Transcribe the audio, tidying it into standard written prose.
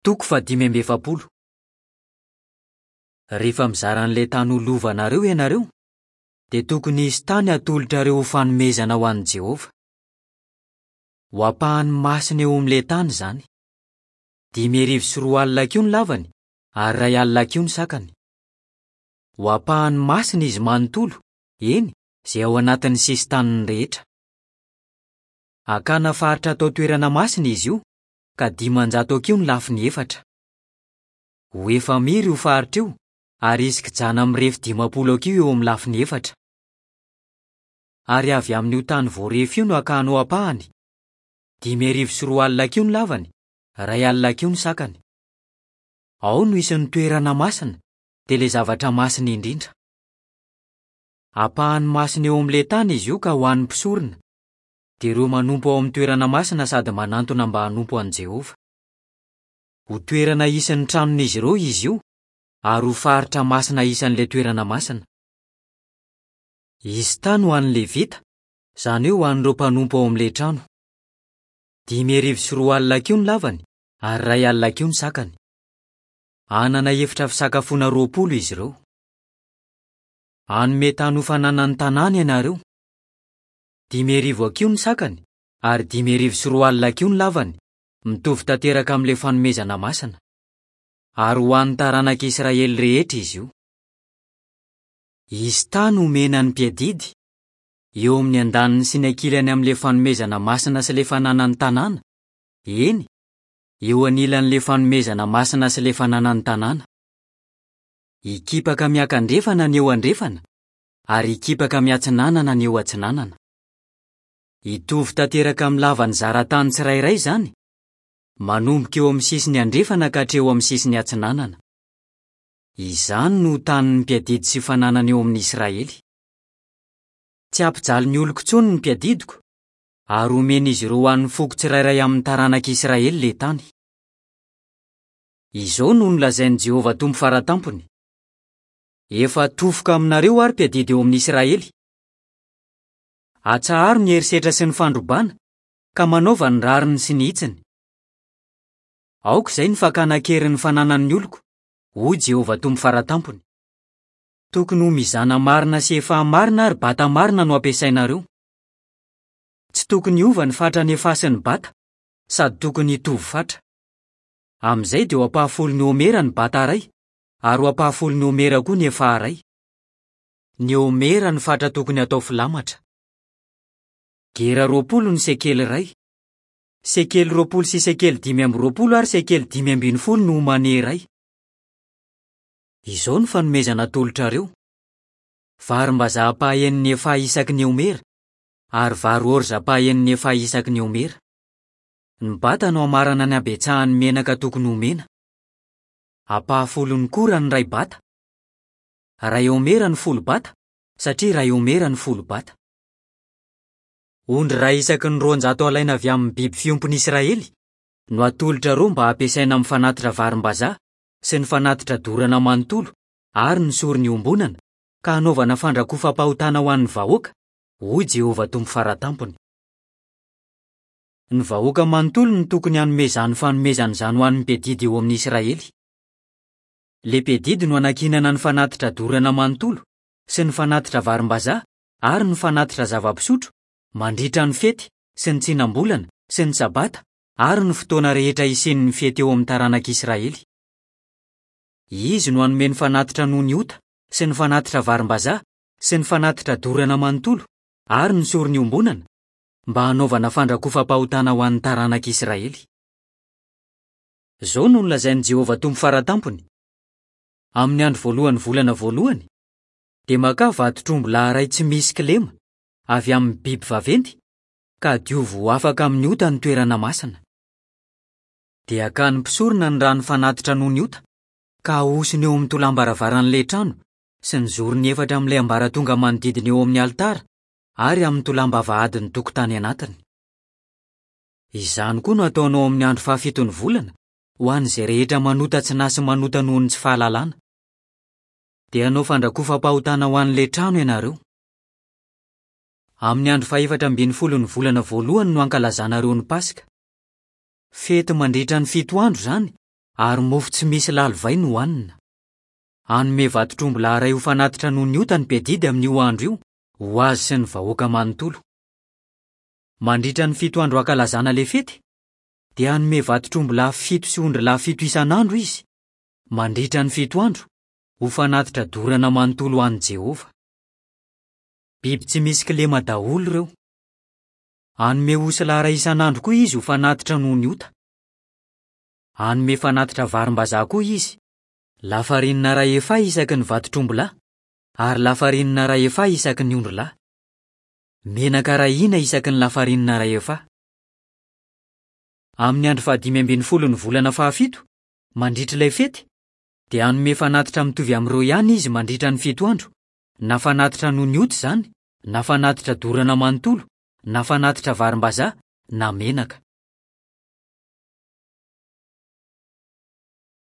Toko fahadimy amby efapolo. Rehefa mizara an'ilay tany ho lovanareo ianareo, dia tokony hisy tany hatolotrareo ho fanomezana ho an'i Jehovah. Ho ampahany masina eo amin'ilay tany izany. 250 hakiho ny lavany ary 100 hakiho ny sakany. Ho ampahany masina izy manontolo, eny, izay ao anatin'ny sisin-taniny rehetra. Hakana faritra atao toerana masina izy io, ka 500 hakiho ny lafiny efatra. Ho efamira io faritra io ary hisy kijana mirefy 50 hakiho eo amin'ny lafiny efatra. Ary avy amin'io tany voarefy io no hakanao ampahany, 250 hakiho ny lavany, 100 hakiho ny sakany. Ao no hisy ny toerana masina, dia ilay zavatra masina indrindra. Ampahany masina eo amin'ilay tany izy io ka ho an'ny mpisorona, dia ireo manompo ao amin'ny toerana masina sady manantona mba hanompo an'i Jehovah. Ho toerana hisy ny tranon'izy ireo izy io, ary ho faritra masina isan'ilay toerana masina. Hisy tany ho an'ny Levita, izany hoe ho an'ireo mpanompo ao amin'ilay trano. 250 hakiho ny lavany, ary 100 hakiho ny sakany. Hanana efitra fisakafoana 20 izy ireo. Hanome tany ho fananan'ny tanàna ianareo. 500 hakiho ny sakany, ary 250 hakiho ny lavany, mitovy tanteraka amin'ilay fanomezana masina. Ary ho an'ny taranak'Israely rehetra izy io. Hisy tany homena ny mpiadidy, eo amin'ny andaniny sy ny ankilany amin'ilay fanomezana masina sy ilay fananan'ny tanàna, eny, eo anilan'ilay fanomezana masina sy ilay fananan'ny tanàna. Hikipaka miakandrefana ny eo andrefana, ary hikipaka miatsinanana ny eo atsinanana. Hitovy tanteraka amin'ny lavan'ny zaratany tsirairay izany, manomboka eo amin'ny sisiny andrefana ka hatreo amin'ny sisiny atsinanana. Izany no ho tanin'ny mpiadidy sy fananana eo amin'ny Israely. Tsy hampijaly ny oloko intsony ny mpiadidiko, ary homen'izy ireo ho an'ny foko tsirairay amin'ny taranak'Israely ilay tany. Izao no nolazain'i Jehovah Tompo Fara Tampony, Efa tofoka aminareo aho, ry mpiadidy eo amin'ny Israely. Atsaharo ny herisetra sy ny fandrobana, ka manaova ny rariny sy ny hitsiny. Aoka izay ny fakana an-keriny ny fananan'ny oloko, hoy Jehovah Tompo Fara Tampony. Tokony ho mizana marina sy efaha marina ary bata marina no ampiasainareo. Tsy tokony hiova ny fatran'ny efaha sy ny bata, sady tokony hitovy fatra. Amin'izay dia ho ampahafolon'ny homera ny bata iray, ary ho ampahafolon'ny homera koa ny efaha iray. Ny homera no fatra tokony hatao filamatra. Gera 20 ny sekely iray. Sekely 20 sy sekely 25 ary sekely 15 no omane iray. Izao no fanomezana atolotrareo, Varimbazaha ampahaenin'ny efaha isaky ny homera, ary vary ôrza ampahaenin'ny efaha isaky ny homera. Ny bata no hamarana ny habetsahan'ny menaka tokony homena. Ampahafolon'ny kora ny iray bata. Iray homera ny folo bata, satria iray homera ny folo bata. Ondry iray isaky ny 200 alaina avy amin'ny biby fiompin'i Israely no atolotrareo mba hampiasaina amin'ny fanatitra varimbazaha sy ny fanatitra dorana manontolo ary ny sorona iombonana, ka hanaovana fandrakofam-pahotana ho an'ny vahoaka, hoy Jehovah Tompo Fara Tampony. Ny vahoaka manontolo no tokony hanome izany fanomezana izany ho an'ny mpiadidy eo amin'ny Israely. Ilay mpiadidy no hanankinana ny fanatitra dorana manontolo sy ny fanatitra varimbazaha ary ny fanatitra zava-pisotro mandritra ny fety sy ny tsinam-bolana sy ny sabata ary ny fotoana rehetra hisian'ny fety eo amin'ny taranak'Israely. Izy no hanome ny fanatitra noho ny ota sy ny fanatitra varimbazaha sy ny fanatitra dorana manontolo ary ny sorona iombonana mba hanaovana fandrakofam-pahotana ho an'ny taranak'Israely. Izao no nolazain'i Jehovah Tompo Fara Tampony, Amin'ny andro voalohan'ny volana voalohany, dia makà vatotr'omby lahy iray tsy misy kilema avy amin'ny biby vaventy, ka diovy ho afaka amin'ny ota ny toerana masina. Dia hakan'ny mpisorona ny ran'ny fanatitra noho ny ota, ka hahosony eo amin'ny tolam-baravaran'ilay trano sy ny zorony efatra amin'ilay ambaratonga manodidina eo amin'ny alitara ary amin'ny tolam-bavahadin'ny tokotany anatiny. Izany koa no hataonao amin'ny andro fahafiton'ny volana ho an'izay rehetra manota tsy nahy sy manota noho ny tsy fahalalana. Dia hanao fandrakofam-pahotana ho an'ilay trano ianareo. Amin'ny andro fahefatra ambin'ny folon'ny volana voalohany no hankalazanareo ny Paska. Fety mandritra ny fito andro izany, ary mofo tsy misy lalivay no hohanina. Hanome vantotr'ombilahy iray ho fanatitra noho ny ota ny mpiadidy amin'io andro io, ho azy sy ny vahoaka manontolo. Mandritra ny fito andro hankalazana ilay fety, dia hanome vantotr'ombilahy fito sy ondrilahy fito isan'andro izy, mandritra ny fito andro, ho fanatitra dorana manontolo ho an'i Jehovah. Biby tsy misy kilema daholo ireo. Hanome osilahy iray isan'andro koa izy ho fanatitra noho ny ota. Hanome fanatitra varimbazaha koa izy, lafarinina iray efaha isaky ny vantotr'ombilahy, ary lafarinina iray efaha isaky ny ondrilahy. Menaka iray hina isaky ny lafarinina iray efaha. Amin'ny andro fahadimy ambin'ny folon'ny volana fahafito, mandritra ilay fety, dia hanome fanatitra mitovy amin'ireo ihany izy mandritra ny fito andro, na fanatitra noho ny ota izany, na fanatitra dorana manontolo, na fanatitra varimbazaha, na menaka.